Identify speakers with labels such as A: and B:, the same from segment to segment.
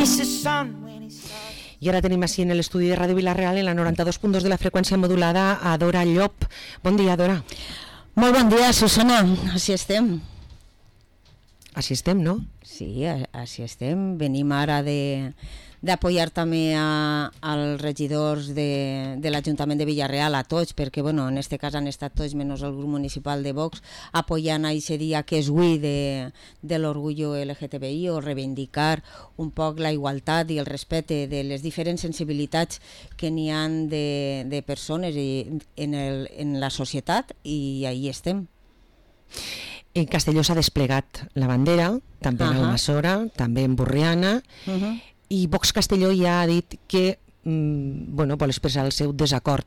A: I ara tenim així en l'estudi de Ràdio Vila-real, en la 92.2 de la freqüència modulada, a Dora Llop. Bon dia, Dora.
B: Molt bon dia, Susana. Així estem.
A: Així estem, no?
B: Sí, així estem. Venim ara d'apoyar també als regidors de l'Ajuntament de Vila-real, a tots, perquè en aquest cas han estat tots, menys el grup municipal de Vox, apoyant aquest dia que és avui de l'orgullo LGTBI, o reivindicar un poc la igualtat i el respecte de les diferents sensibilitats que n'hi ha de persones en la societat, i ahí estem.
A: En Castelló s'ha desplegat la bandera, també en Almassora, també en Borriana, i Vox Castelló ja ha dit que vol expressar el seu desacord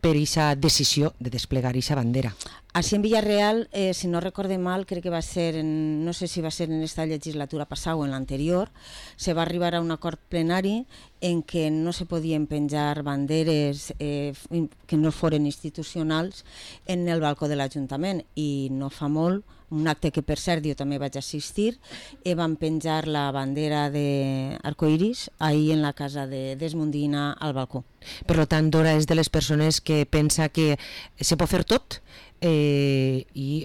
A: per aquesta decisió de desplegar aquesta bandera.
B: Així en Vila-real, si no recorde mal, crec que va ser, no sé si va ser en esta legislatura passada o en l'anterior, se va arribar a un acord plenari en què no se podien penjar banderes que no foren institucionals en el balcó de l'Ajuntament, i no fa molt, un acte que per cert jo també vaig assistir, van penjar la bandera d'Arcoiris ahir en la casa de Desmondina al balcó.
A: Per tant, Dora és de les persones que pensa que se pot fer tot i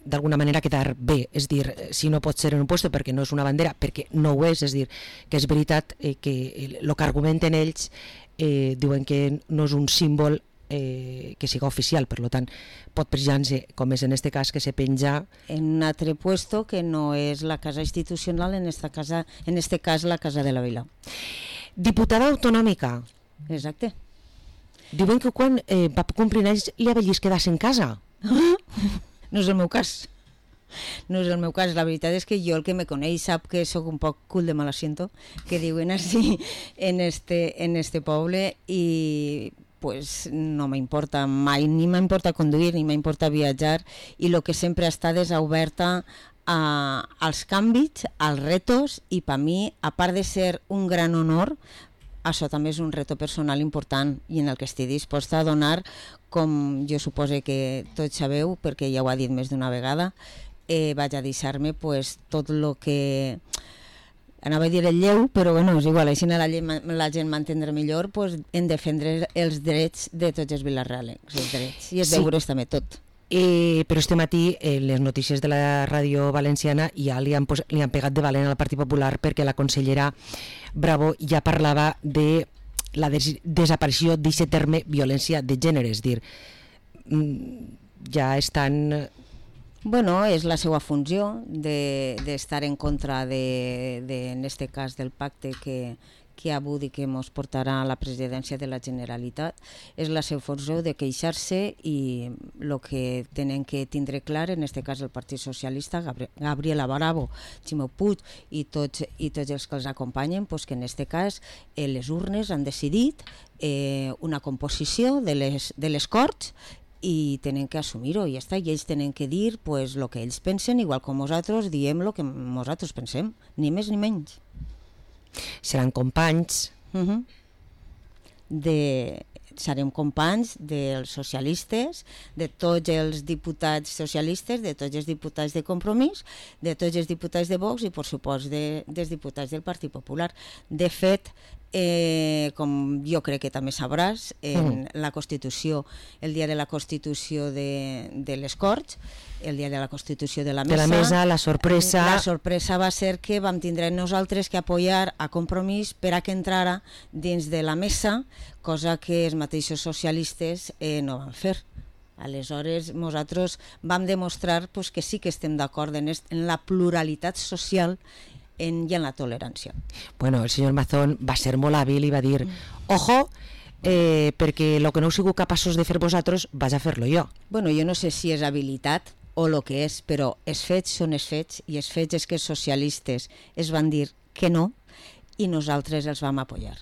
A: d'alguna manera quedar bé, és dir, si no pot ser en un lloc perquè no és una bandera, perquè no ho és dir, que és veritat que el que argumenten ells diuen que no és un símbol que siga oficial, per tant pot penjar-se, com és en este cas, que se penja
B: en un altre puesto que no és la casa institucional, en este cas la Casa de la Vila.
A: Diputada autonòmica.
B: Exacte.
A: Diuen que quan va complir anys li avellis quedar-se en casa.
B: No és el meu cas. No és el meu cas. La veritat és que jo, el que me coneix, sap que sóc un poc cul de mal asiento, que diuen així en este poble, i pues no m'importa mai, ni m'importa conduir, ni m'importa viatjar, i el que sempre ha estat és oberta als canvis, als retos, i per mi, a part de ser un gran honor, això també és un reto personal important i en el que estic disposta a donar, com jo suposo que tots sabeu, perquè ja ho ha dit més d'una vegada, vaig a deixar-me pues, tot el que... Anava a dir el lleu, però és igual, així la gent m'entendrà millor, pues, en defendre els drets de tots els vilarrealencs, els drets, i els deures també, tot.
A: Però este matí les notícies de la ràdio valenciana ja li han pegat de valent al Partit Popular, perquè la consellera Bravo ja parlava de la desaparició d'aquest terme violència de gènere, és dir, ja estan...
B: És la seva funció d'estar en contra en aquest cas del pacte que ha hagut i que ens portarà a la presidència de la Generalitat. És la seva funció de queixar-se, i el que tenen que tindre clar, en aquest cas el Partit Socialista, Gabriela Bravo, Ximo Puig i tots els que els acompanyen, que en aquest cas les urnes han decidit una composició de les Corts, i tenen que assumir-ho, i ells tenen que dir el que ells pensen, igual com nosaltres diem el que nosaltres pensem, ni més ni menys.
A: Seran companys?
B: Serem companys dels socialistes, de tots els diputats socialistes, de tots els diputats de Compromís, de tots els diputats de Vox i, per supost, dels diputats del Partit Popular. De fet, com jo crec que també sabràs, en la Constitució, el dia de la Constitució de les Corts, el dia de la Constitució de la Mesa,
A: la sorpresa
B: va ser que vam tindre nosaltres que apoyar a Compromís per a que entrara dins de la mesa, cosa que els mateixos socialistes no van fer. Aleshores, nosaltres vam demostrar que sí que estem d'acord en la pluralitat social i en la tolerància.
A: Bueno, el senyor Mazón va ser molt hàbil i va dir, ojo, perquè el que no heu sigut capaços de fer vosaltres, vaig a fer-lo jo.
B: Bueno, jo no sé si és habilitat o el que és, però els fets són els fets, i els fets és que els socialistes es van dir que no i nosaltres els vam apoyar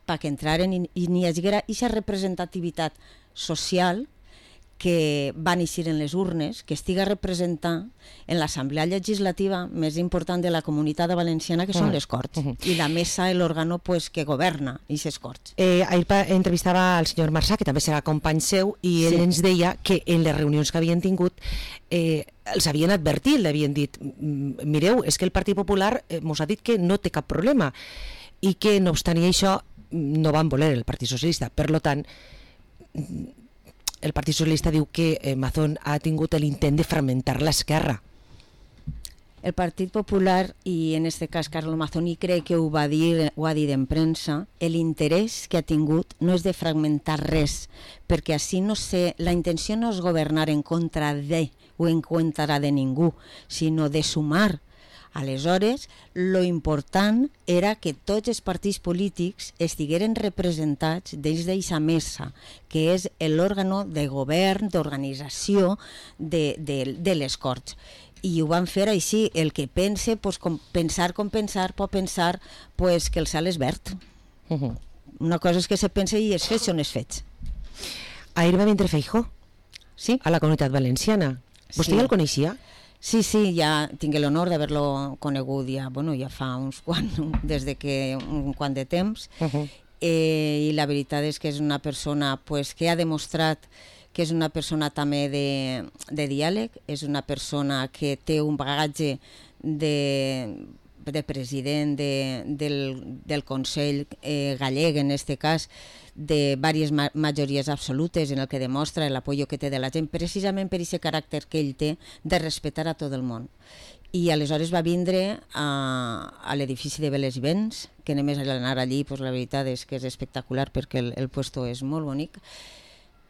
B: perquè entraren i n'hi haguera aquesta representativitat social que va néixer en les urnes, que estiga representant en l'Assemblea Legislativa més important de la Comunitat Valenciana, que són les Corts, i la mesa, l'òrgano pues, que governa aquestes Corts.
A: Ahir entrevistava al senyor Marsà, que també serà company seu, i ell ens deia que en les reunions que havien tingut els havien advertit, li havien dit mireu, és que el Partit Popular mos ha dit que no té cap problema i que no obstant això no van voler el Partit Socialista. Per tant, el Partit Socialista diu que Mazón ha tingut l'intent de fragmentar l'esquerra.
B: El Partit Popular, i en aquest cas Carlos Mazón, i crec que ho ha dit en premsa, l'interès que ha tingut no és de fragmentar res, perquè així no sé, la intenció no és governar en contra de o en contra de ningú, sinó de sumar. Aleshores, lo important era que tots els partits polítics estigueren representats dins d'aquesta mesa, que és l'òrgano de govern, d'organització de les Corts. I ho van fer així. El que pense, pues, pensar com pensar, pot pensar pues, que el cel és verd. Una cosa és que se pensa i els fets són els fets.
A: Ahir va vindre Feijóo a la Comunitat Valenciana. Vostè ja el coneixia?
B: Sí, ja tinc l'honor d'haver-lo conegut ja fa uns quants, des de que un quant de temps, i la veritat és que és una persona pues, que ha demostrat que és una persona també de diàleg, és una persona que té un bagatge de president del Consell gallec, en aquest cas, de diverses majories absolutes, en el que demostra l'apoyo que té de la gent, precisament per aquest caràcter que ell té de respectar a tot el món. I aleshores va vindre a l'edifici de Veles i Vents, que només anar allí, pues, la veritat és que és espectacular perquè el puesto és molt bonic.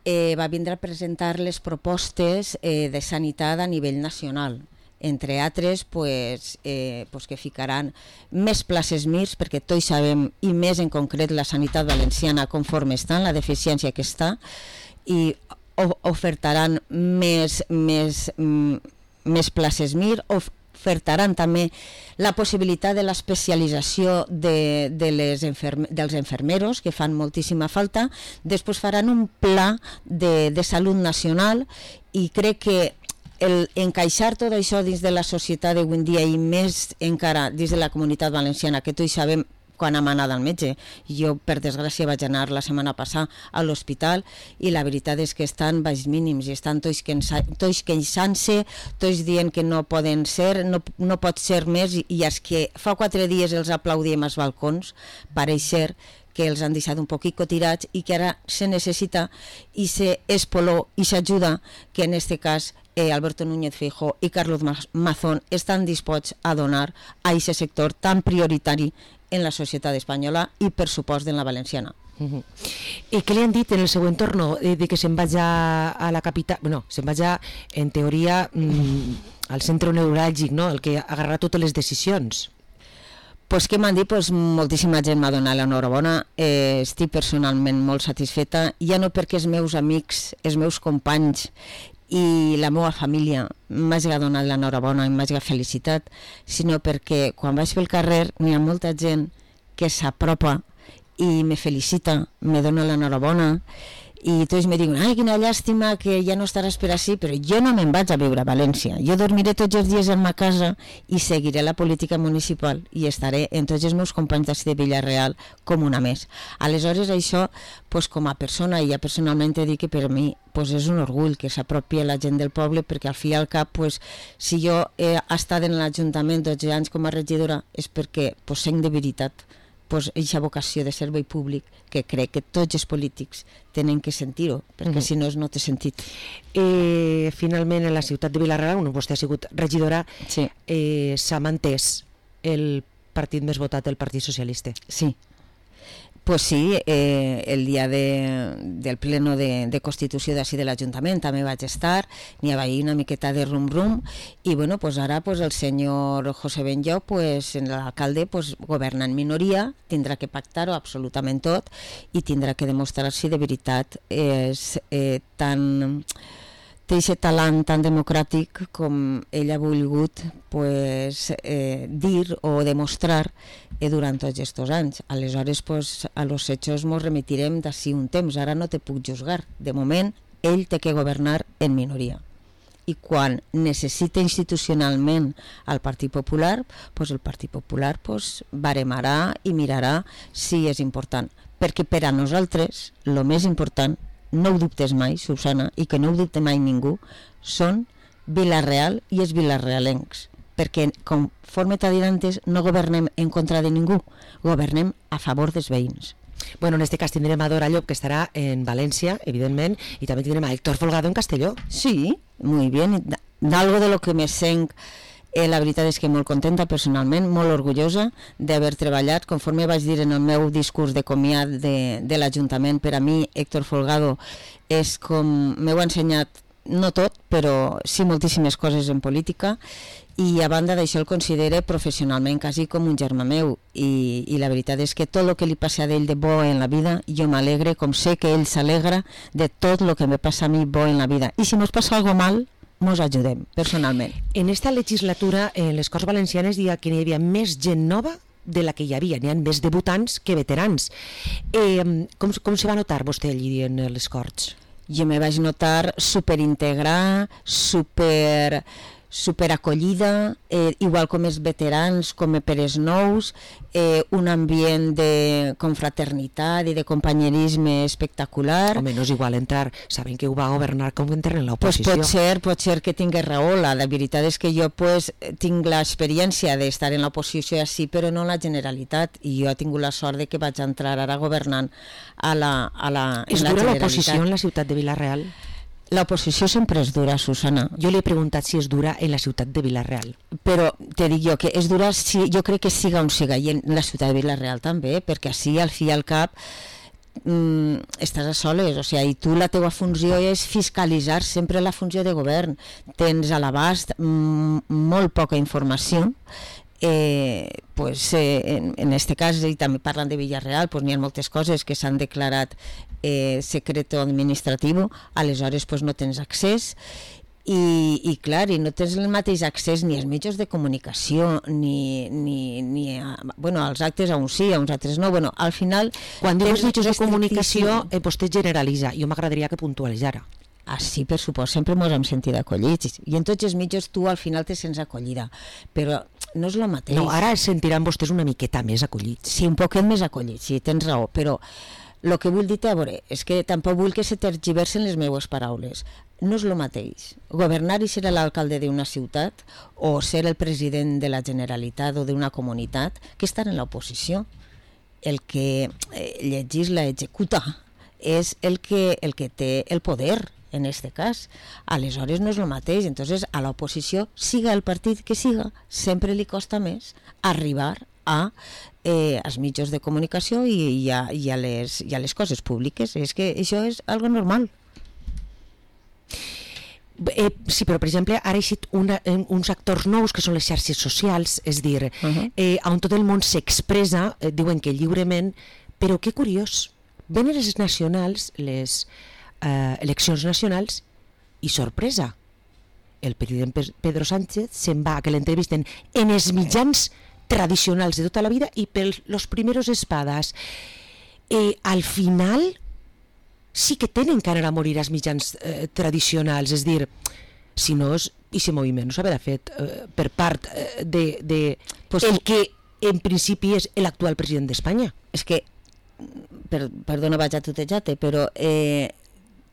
B: Va vindre a presentar les propostes de sanitat a nivell nacional, entre altres que ficaran més places MIRS, perquè tots sabem, i més en concret la sanitat valenciana conforme està, la deficiència que està, i ofertaran més places MIR, ofertaran també la possibilitat de l'especialització dels infermeros, que fan moltíssima falta. Després faran un pla de salut nacional, i crec que encaixar tot això dins de la societat d'avui en dia, i més encara dins de la Comunitat Valenciana, que tots sabem quan hem anat al metge. Jo, per desgràcia, vaig anar la setmana passada a l'hospital i la veritat és que estan baix mínims i estan tots queixant-se, tots dient que no poden ser, no pot ser més, i els que fa 4 dies els aplaudíem als balcons, pareix ser que els han deixat un poquito tirats i que ara se necessita i se espoló i s'ajuda, que en aquest cas Alberto Núñez Feijóo i Carlos Mazón estan disposats a donar a aquest sector tan prioritari en la societat espanyola i, per supost, en la valenciana.
A: I què li han dit en el següent torno? De que se'n vaig a la capital, bueno, se'n vaig en teoria al centre neuràlgic, no? El que agarrarà totes les decisions.
B: Pues què m'han dit? Pues moltíssima gent m'ha donat l'enhorabona, estic personalment molt satisfeta, ja no perquè els meus amics, els meus companys i la meva família m'hagi donat l'enhorabona i m'hagi felicitat, sinó perquè quan vaig pel carrer n'hi ha molta gent que s'apropa i me felicita, me dona l'enhorabona, i tots me diuen, ai, quina llàstima que ja no estaràs per així, però jo no me'n vaig a viure a València, jo dormiré tots els dies en ma casa i seguiré la política municipal i estaré en tots els meus companys d'ací de Villarreal com una més. Aleshores això, com a persona, i ja personalment he dit que per mi és un orgull que s'apropi la gent del poble, perquè al fi i al cap, si jo he estat en l'Ajuntament 12 anys com a regidora és perquè sent de veritat aquesta vocació de servei públic que crec que tots els polítics tenen que sentir-ho, perquè si no té sentit.
A: Finalment, en la ciutat de Vilareal, on vostè ha sigut regidora, s'ha mantès el partit més votat, el Partit Socialista.
B: Sí. Pues sí, el dia del pleno de Constitució d'ací de l'Ajuntament també vaig estar, n'hi havia una miqueta de rum-rum, i bueno, ara el senyor José Benllo, l'alcalde, governa en minoria, tindrà que pactar-ho absolutament tot i tindrà que demostrar si de veritat és té aquest talent tan democràtic com ell ha volgut dir o demostrar durant tots aquests anys. Aleshores, a los hechos ens remitirem d'ací un temps. Ara no te puc juzgar. De moment, ell té que governar en minoria. I quan necessita institucionalment el Partit Popular, doncs el Partit Popular baremarà i mirarà si és important. Perquè per a nosaltres, el més important, no ho dubtes mai, Susana, i que no ho dubte mai ningú, són Vila-real i els vilarealencs. Perquè, conforme t'ha dit antes, no governem en contra de ningú, governem a favor dels veïns.
A: Bueno, en este cas tindrem a Dora Llop, que estarà en València, evidentment, i també tindrem a Héctor Folgado en Castelló.
B: Sí, muy bien. D'algo de lo que me sent, la veritat és que molt contenta personalment, molt orgullosa d'haver treballat. Conforme vaig dir en el meu discurs de comiat de l'Ajuntament, per a mi Héctor Folgado és com... m'heu ensenyat, no tot, però sí moltíssimes coses en política, i a banda d'això el considere professionalment quasi com un germà meu, i la veritat és que tot el que li passa a ell de bo en la vida, jo m'alegre, com sé que ell s'alegra de tot el que me passa a mi bo en la vida, i si mos passa algo mal, mos ajudem, personalment.
A: En esta legislatura, en les Corts Valencianes, diria que n'hi havia més gent nova de la que hi havia, n'hi ha més debutants que veterans. Com se va notar vostè allí en les Corts?
B: Jo me vaig notar superintegrar, superacollida, igual com els veterans, com per els nous, un ambient de confraternitat i de companyerisme espectacular.
A: Home, no és igual entrar, saben que ho va governar com entrar en l'oposició.
B: Pues pot ser que tingués raó, la veritat és que jo tinc l'experiència d'estar en l'oposició així, però no en la Generalitat, i jo he tingut la sort de que vaig entrar ara governant a la
A: És dura l'oposició en la ciutat de Vila-real?
B: L'oposició sempre és dura, Susana.
A: Jo li he preguntat si és dura en la ciutat de Vila-real.
B: Però te dic jo que és dura, jo crec que siga on siga, i en la ciutat de Vila-real també, perquè així al fi i al cap estàs a soles, o sigui, i tu la teva funció és fiscalitzar sempre la funció de govern. Tens a l'abast molt poca informació, en este cas, i també parlant de Vila-real, n'hi ha moltes coses que s'han declarat secreto administratiu, aleshores no tens accés, i clar, i no tens el mateix accés ni als mitjans de comunicació ni als actes, a uns sí, a uns altres no. Al final,
A: quan dius mitjans de comunicació, vostè generalitza. Jo m'agradaria que puntualitzara.
B: Sí, per supost, sempre ens hem sentit acollits, i en tots els mitjans tu al final te sents acollida, però no és el mateix.
A: No, ara es sentiran vostès una miqueta més acollits.
B: Sí, un poquet més acollits, sí, tens raó, però el que vull dir-te, a veure, és que tampoc vull que se tergiversen les meves paraules. No és el mateix governar i ser l'alcalde d'una ciutat o ser el president de la Generalitat o d'una comunitat que estar en l'oposició. El que legisla, executa, és el que té el poder, en este cas. Aleshores no és el mateix. Entonces, a l'oposició, siga el partit que siga, sempre li costa més arribar als mitjans de comunicació i a les coses públiques. És que això és algo normal.
A: Sí, però per exemple ara hi ha uns actors nous que són les xarxes socials, és dir, on tot el món s'expressa, diuen que lliurement, però que curiós, venen les nacionals, les eleccions nacionals, i sorpresa, el president Pedro Sánchez se'n va a que l'entrevisten en els mitjans tradicionals de tota la vida i per los primeros espadas. Al final sí que tenen que anar a morir als mitjans tradicionals, és dir, si no, aquest moviment no s'haurà fet per part el que en principi és l'actual president d'Espanya.
B: És que, perdona, vaig a tutejar-te, però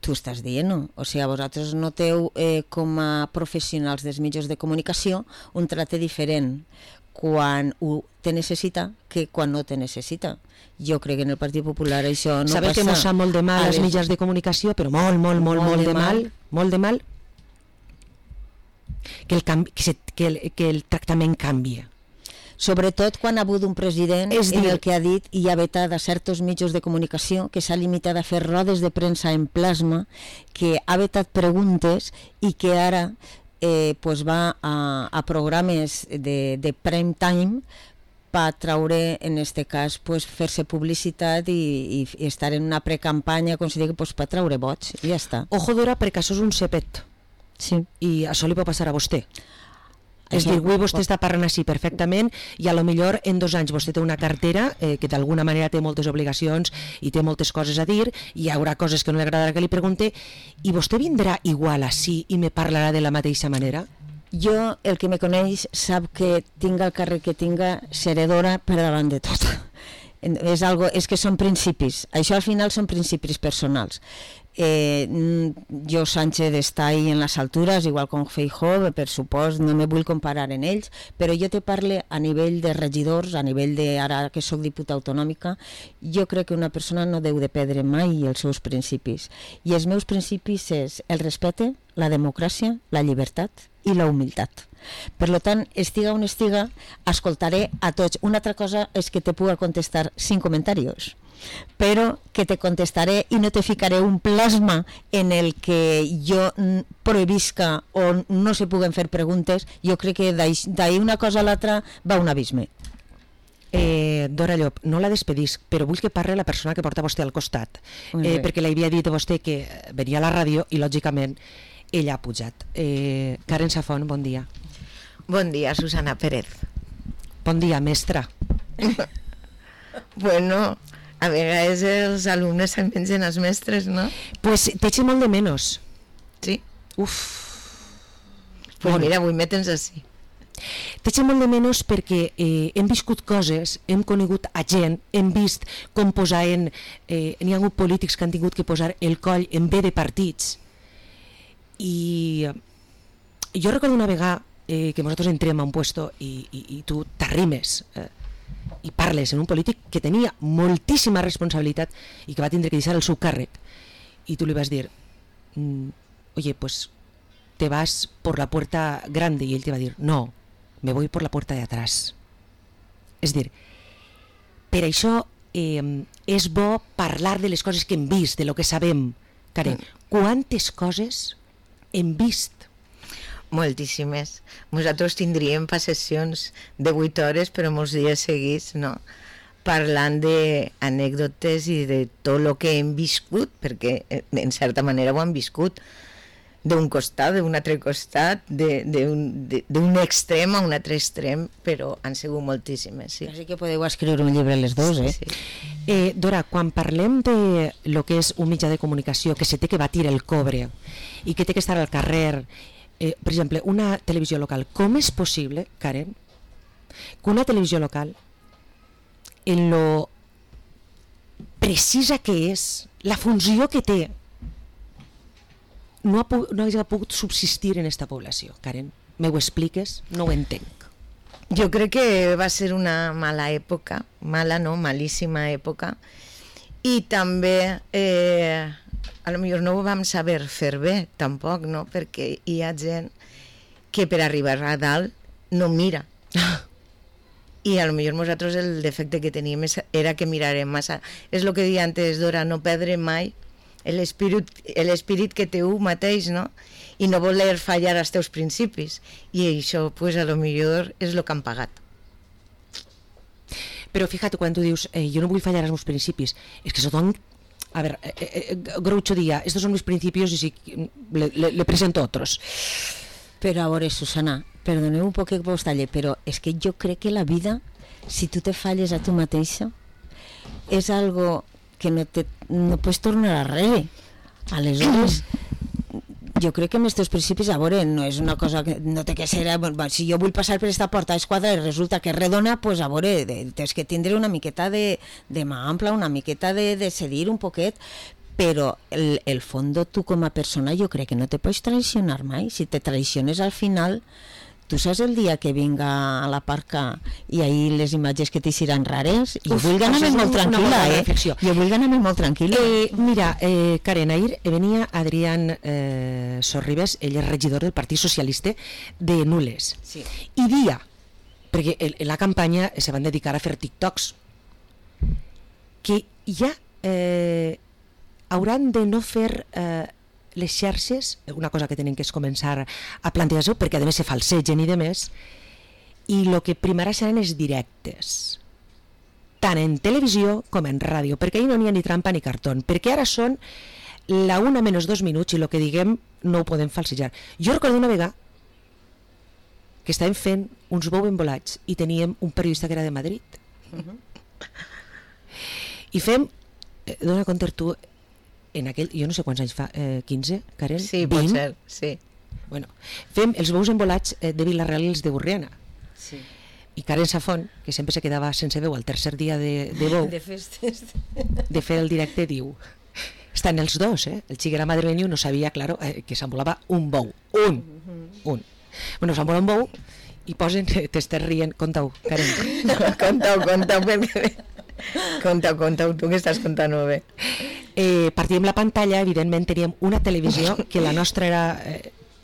B: tu estàs dient, no? O sigui, vosaltres noteu com a professionals dels mitjans de comunicació un tracte diferent quan ho te necessita que quan no te necessita. Jo crec que en el Partit Popular això no passa.
A: Sabeu que mos sap molt de mal els mitjans de comunicació, però molt de mal, que el tractament canvia.
B: Sobretot quan ha hagut un president en el que ha dit i ha vetat a certs mitjans de comunicació, que s'ha limitat a fer rodes de premsa en plasma, que ha vetat preguntes i que ara va a programes de prime time per traure, en aquest cas, fer-se publicitat i estar en una precampanya, com si digui, per traure vots, i ja està.
A: Ojo, Dora, perquè això és un cepet.
B: Sí.
A: I això li pot passar a vostè. És dir, avui vostè està parlant així perfectament i a lo millor en 2 anys vostè té una cartera que d'alguna manera té moltes obligacions i té moltes coses a dir, i hi haurà coses que no li agradarà que li pregunte, i vostè vindrà igual així i me parlarà de la mateixa manera?
B: Jo, el que me coneix, sap que tinga el càrrec que tinga, seré d'hora per davant de tot. És que són principis, això al final són principis personals. Jo, Sánchez, està ahí en les altures, igual com Feijóo, per supost, no me vull comparar en ells, però jo te parle a nivell de regidors, a nivell de, ara que sóc diputada autonòmica, jo crec que una persona no deu de perdre mai els seus principis, i els meus principis és el respecte, la democràcia, la llibertat i la humilitat. Per tant, estiga on estiga, escoltaré a tots. Una altra cosa és que te puga contestar sin comentarios, però que te contestaré i no te ficaré un plasma en el que jo prohibisca o no se puguen fer preguntes. Jo crec que d'ahir una cosa a l'altra va un abisme.
A: Dora Llop, no la despedisc, però vull que parli la persona que porta vostè al costat, perquè li havia dit a vostè que venia a la ràdio i lògicament ella ha pujat. Karen Safon, bon dia.
C: Bon dia, Susana Pérez.
A: Bon dia, mestra.
C: Bueno, a vegades els alumnes se'n mengen els mestres, no?
A: Pues t'eche molt de menos.
C: Sí?
A: Uf.
C: Pues bueno, mira, avui me tens així.
A: T'eche molt de menos perquè hem viscut coses, hem conegut a gent, hem vist com posaven, n'hi ha hagut polítics que han tingut que posar el coll en B de partits, i jo recordo una vegada que nosaltres entrem a un puesto i tu t'arrimes i parles en un polític que tenia moltíssima responsabilitat i que va tindre que deixar el seu càrrec, i tu li vas dir oye, pues te vas por la puerta grande, y él te va a decir no, me voy por la puerta de atrás. És dir, per això és bo parlar de les coses que hem vist, de lo que sabem. Karen, quantes coses hem vist?
C: Moltíssimes. Nosaltres tindríem sessions de 8 hores, però molts dies seguits, no? Parlant d'anècdotes i de tot el que hem viscut, perquè en certa manera ho han viscut, d'un costat, d'un altre costat, d'un extrem a un altre extrem, però han sigut moltíssimes, sí.
B: Així que podeu escriure un llibre les dos, eh?
A: Sí. Dora, quan parlem de lo que és un mitjà de comunicació que se té que batir el cobre i que té que estar al carrer, per exemple, una televisió local, com és possible, Karen, que una televisió local, en lo precisa que és, la funció que té, no hagi pogut subsistir en esta població? Karen, me ho expliques? No ho entenc.
C: Jo crec que va ser una mala època, mala no, malíssima època, i també a lo millor no ho vam saber fer bé tampoc, no? Perquè hi ha gent que per arribar a dalt no mira. I a lo millor nosaltres el defecte que teníem era que mirarem massa. És el que deia antes, Dora, no perdre mai l'espírit que té un mateix, no? I no voler fallar als teus principis. I això, pues, a lo millor és el que han pagat.
A: Però fíjate, quan tu dius jo no vull fallar als meus principis, és que son... A ver, Groucho dia, estos son mis principios y si le presento otros.
B: Però a veure, Susana, perdoneu un poc que vos talle, però és que jo crec que la vida, si tu te falles a tu mateixa, és algo que no pots tornar arrere. Aleshores, jo crec que amb els teus principis, a veure, no és una cosa que no té que ser, si jo vull passar per aquesta porta d'esquadra i resulta que és redona, pues a veure, tens que tindre una miqueta de mà ampla, una miqueta de cedir un poquet, però el fondo tu com a persona jo crec que no te pots traicionar mai. Si te traiciones al final, tu saps el dia que vinga a la parca i ahir les imatges que t'hixiran rares? Jo vull anar-me molt tranquil·la, Jo vull anar-me molt tranquil·la.
A: Mira, Karen, ahir venia Adrián Sorribes, ell és regidor del Partit Socialista de Nules.
B: Sí.
A: I dia, perquè en la campanya se van dedicar a fer TikToks, que ja hauran de no fer les xarxes, una cosa que tenen que és començar a plantejar-se, perquè a més se falsegen i de més, i el que primarà seran els directes, tant en televisió com en ràdio, perquè ahir no n'hi ha ni trampa ni cartó, perquè ara són la 1 menys 2 minuts i el que diguem no ho podem falsejar. Jo recordo una vegada que estàvem fent uns bous embolats i teníem un periodista que era de Madrid. I fem, dona compte tu, en aquell, jo no sé quants anys fa, 15, Karen?
C: Sí,
A: 20?
C: pot ser, sí.
A: Bueno, fem els bous embolats de Vilareal i els de Borriana.
B: Sí.
A: I Karen Safón, que sempre se quedava sense veu al tercer dia de bou,
B: De festes.
A: de fer el directe, diu: estan els dos, el xic era madrileño, no sabia, claro, que s'embolava un bou. Un. Bueno, s'embola un bou i posen, t'estàs rient, conta-ho, Karen.
C: No, conta-ho, perquè... Conta-ho, tu que estàs contant-ho bé.
A: Partíem la pantalla, evidentment teníem una televisió que la nostra era...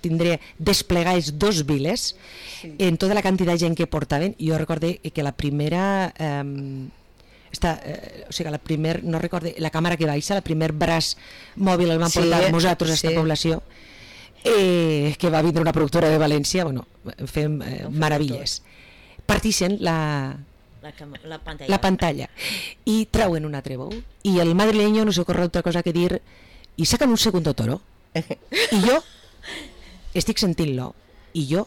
A: tindria desplegades 2 viles en tota la quantitat de gent que portaven. Jo recorde que la primera o sigui, no recorde la càmera que baixa, el primer braç mòbil el van portar nosaltres a aquesta població, que va vindre una productora de València. Bueno, fem meravelles. Partixen la pantalla i trauen un altre bou i el madrileño no se ocorre otra cosa que dir i sacan un segundo toro i jo estic sentint-lo i jo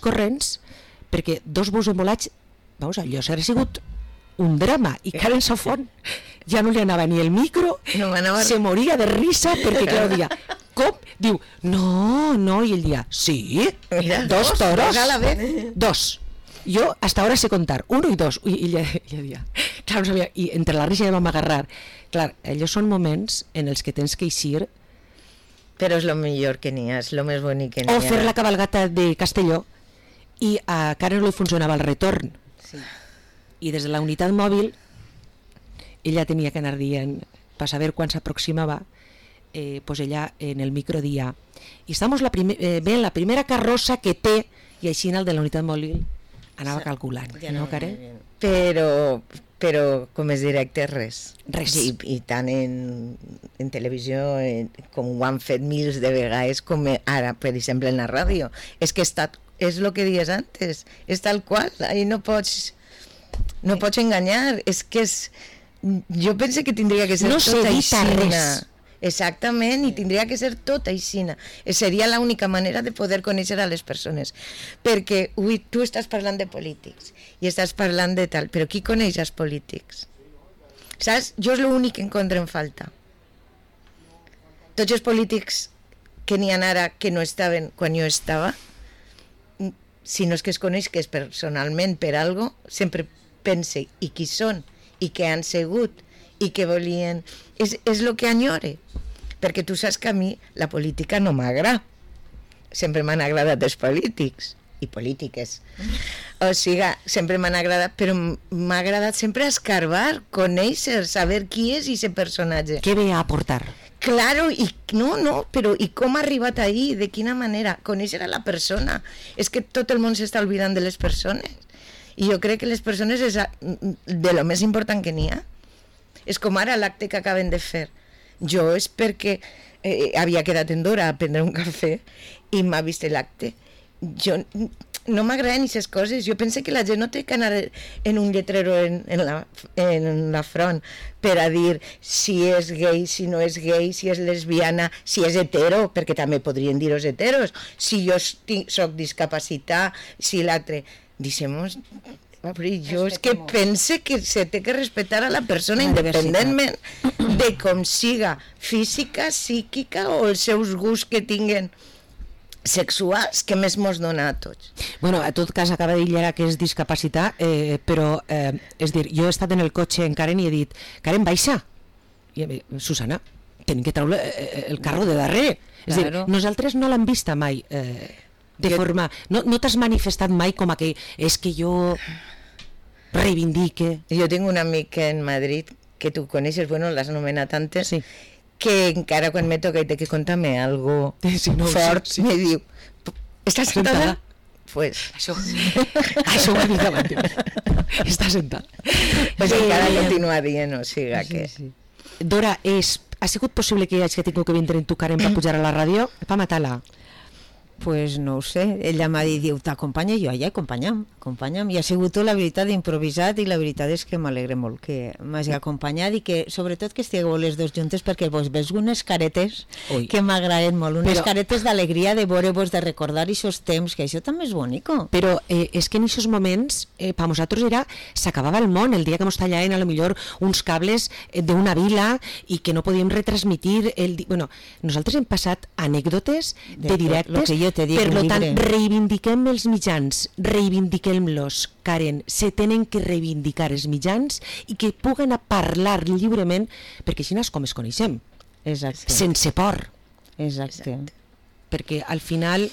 A: corrents perquè 2 bous embolats, vamos, allò s'ha sigut un drama i Karen Safón ja no li anava ni el micro, se moria de risa perquè clar, dia, com? Diu, no, i ell dia, sí,
C: mira,
A: 2 toros,
C: a la vez.
A: 2. Yo hasta ahora sé contar, 1 y 2, y ella dia, clar, no sabia, i entre la risa ja vam agarrar. Clar, allò són moments en els que tens que eixir.
C: Però és lo millor que n'hi ha, és lo més bonic que n'hi ha.
A: O fer la cabalgata de Castelló, i a Karen no li funcionava el retorn.
B: Sí.
A: I des de la unitat mòbil, ella tenia que anar dient, per saber quan s'aproximava, pues ella en el micro dia, i estamos ven la primera carrossa que té, i així en el de la unitat mòbil anava calculant, no, Karen?
C: Però com és directe, res. I tant en televisió com ho han fet mils de vegades, com ara, per exemple, en la ràdio. És que és el que dies antes, és tal qual, ahí no pots enganyar, és que és... Jo penso que tindria que ser tot aixina. Exactament, i tindria que ser tot aixina. Seria l'única manera de poder conèixer a les persones. Perquè tu estàs parlant de polítics i estàs parlant de tal, però qui coneix els polítics? Saps? Jo és l'únic que encontro en falta. Tots els polítics que n'hi ha ara que no estaven quan jo estava, si no és que es coneix que és personalment per algo, sempre pense i qui són i què han sigut i què volien, és el que enyore, perquè tu saps que a mi la política no m'agrada, sempre m'han agradat els polítics i polítiques, o sigui, sempre m'han agradat, però m'ha agradat sempre escarbar, conèixer, saber qui és aquest personatge.
A: Què ve a aportar?
C: Claro, però i com ha arribat ahí, de quina manera, conèixer a la persona. És que tot el món s'està oblidant de les persones, i jo crec que les persones és de lo més important que n'hi ha. És com ara l'acte que acaben de fer. Jo és perquè havia quedat en Dora a prendre un cafè i m'ha vist l'acte. Jo no m'agraden aquestes coses. Jo penso que la gent no té que anar en un lletrero en la front per a dir si és gay, si no és gay, si és lesbiana, si és hetero, perquè també podrien dir els heteros, si jo soc discapacitat, si l'altre... Dicemos... Jo és que pense que se té que respectar a la persona independentment de com siga física, psíquica o els seus gusts que tinguen sexuals, que més mos dona a tots.
A: Bueno, a tot cas acaba de dir ara que és discapacitat, però és dir, jo he estat en el cotxe en Karen i he dit, Karen, baixa. I Susana, tenim que treure el carro de darrere. És dir, nosaltres no l'hem vista mai de forma... No t'has manifestat mai com a que és que jo reivindique...
C: Jo tinc un amic en Madrid que tu coneixes, bueno, l'has anomenat antes,
A: sí,
C: que encara quan me toca i té que contar-me algo fort, me diu, ¿estás sentada? Pues...
A: Això ho he dit abans. Està sentada.
C: Pues encara continua dient, o sigui que...
A: Dora, ha sigut possible que hagi tingut que vindre en tu, Karen, per pujar a la ràdio? Per matar-la?
B: pues no ho sé, ella m'ha dit, diu, t'acompanya, jo, ja, acompanya'm, i ha sigut tot, la veritat, improvisat, i la veritat és que m'alegre molt que m'hagi acompanyat i que, sobretot, que estigueu les dos juntes, perquè vos veus unes caretes que m'agraden molt, unes caretes d'alegria de veure-vos, de recordar aquests temps, que això també és bonico.
A: Però és que en aquests moments, per nosaltres s'acabava el món, el dia que ens tallaven a lo millor uns cables d'una vila i que no podíem retransmitir, bueno, nosaltres hem passat anècdotes de directes. Per tant, reivindiquem els mitjans, reivindiquem-los, Karen, se tenen que reivindicar els mitjans i que puguen a parlar lliurement, perquè així és com es coneixem.
B: Exacte.
A: Sense por.
B: Exacte.
A: Perquè al final,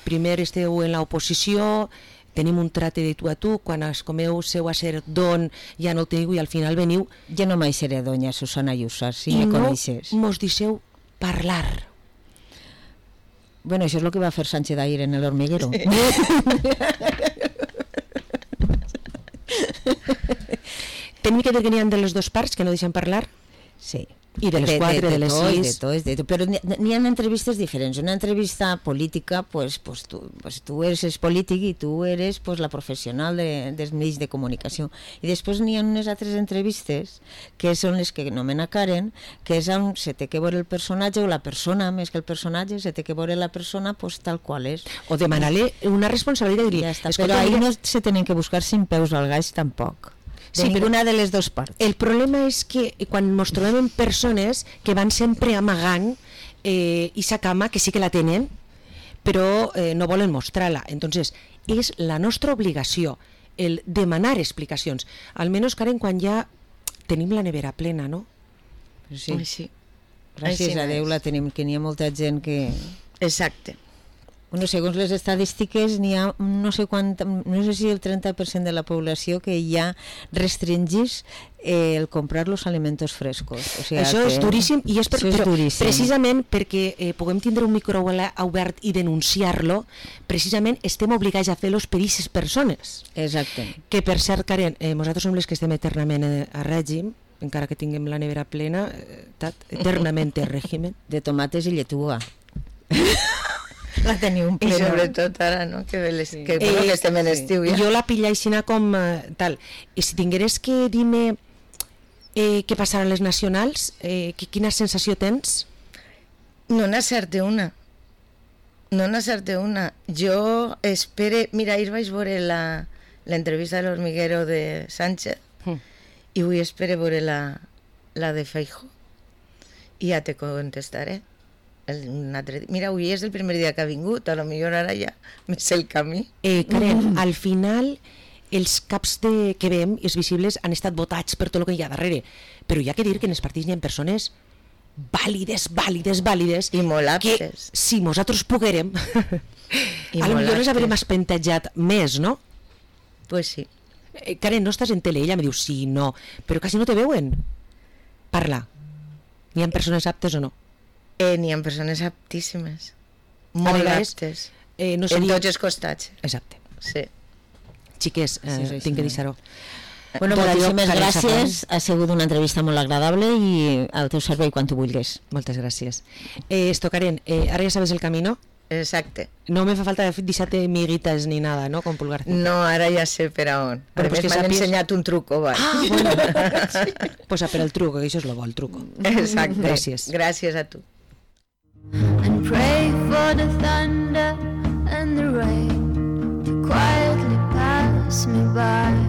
A: primer esteu en l'oposició, tenim un trate de tu a tu, quan es comeu seu a ser don ja no el teniu i al final veniu...
B: Jo no mai seré doña Susana Llussà, si me coneixes.
A: I no mos deixeu parlar.
B: Bueno, això és el que va fer Sánchez ahir en el hormiguero. Sí.
A: Tenim que dir que n'hi ha de les dues parts que no deixen parlar?
B: Sí.
A: I de les 4, de les 6.
B: De tot, però n'hi ha entrevistes diferents. Una entrevista política, pues tu eres el polític i tu eres la professional dels mitjans de comunicació. I després n'hi ha unes altres entrevistes que són les que anomena Karen, que és on se té que veure el personatge o la persona, més que el personatge, se té que veure la persona tal qual és.
A: O demanar-li una responsabilitat.
B: Ja està, però ahir no se tenen que buscar sin peus al gaix tampoc. De ninguna de les dues parts.
A: El problema és que quan ens trobem en persones que van sempre amagant aquesta cama, que sí que la tenen, però no volen mostrar-la. Entonces, és la nostra obligació el demanar explicacions. Almenys, Karen, quan ja tenim la nevera plena, no?
B: Sí. Sí. Gràcies a Déu la tenim, que n'hi ha molta gent que...
C: Exacte.
B: Bueno, segons les estadístiques, n'hi ha no sé si el 30% de la població que ja restringís el comprar los alimentos frescos. O sigui,
A: això és duríssim, i és
B: duríssim.
A: Precisament perquè puguem tindre un micro obert i denunciar-lo, precisament estem obligats a fer-los per aquestes persones.
B: Exacte.
A: Que per cert, Karen, nosaltres som les que estem eternament a règim, encara que tinguem la nevera plena, eternament a règim.
B: De tomates i lletuga. La teniu un plena.
C: I sobretot ara, no? Que estem en estiu ja.
A: Jo la pilla aixina com tal. I si tingueres que dir-me què passarà a les nacionals, quina sensació tens?
C: No n'acerte una. Jo espere... Mira, ahir vaig veure l'entrevista de l'Hormiguero de Sánchez i avui espere veure la de Feijóo i ja te contestaré. Mira, avui és el primer dia que ha vingut, a lo millor ara ja me sé el camí.
A: Karen, al final els caps que veiem, els visibles, han estat votats per tot el que hi ha darrere, però hi ha que dir que en els partits hi ha persones vàlides
C: i molt aptes,
A: que si nosaltres poguérem a lo millor les haurem espentejat més, no?
C: Pues sí.
A: Karen, no estàs en tele? Ella me diu sí, no, però quasi no te veuen. Parla, n'hi ha persones aptes o no?
C: N'hi ha persones aptíssimes, molt aptes,
A: en
C: tots els costats.
A: Exacte.
C: Sí.
A: Xiques, tinc que deixar-ho.
B: Bueno, moltíssimes gràcies, ha sigut una entrevista molt agradable i al teu servei quan tu vulguis.
A: Moltes gràcies. Karen, ara ja sabes el camí, no?
C: Exacte.
A: No me fa falta deixar-te miguitas ni nada, ¿no? Con pulgar.
C: No, ara ja sé per a on.
A: Bueno,
C: pues m'han ensenyat un truco, va.
A: Bueno. Pues per el truco, que això és lo bo, el truco.
C: Exacte.
A: Gràcies.
C: Gràcies a tu.
D: And pray for the thunder and the rain to quietly pass me by.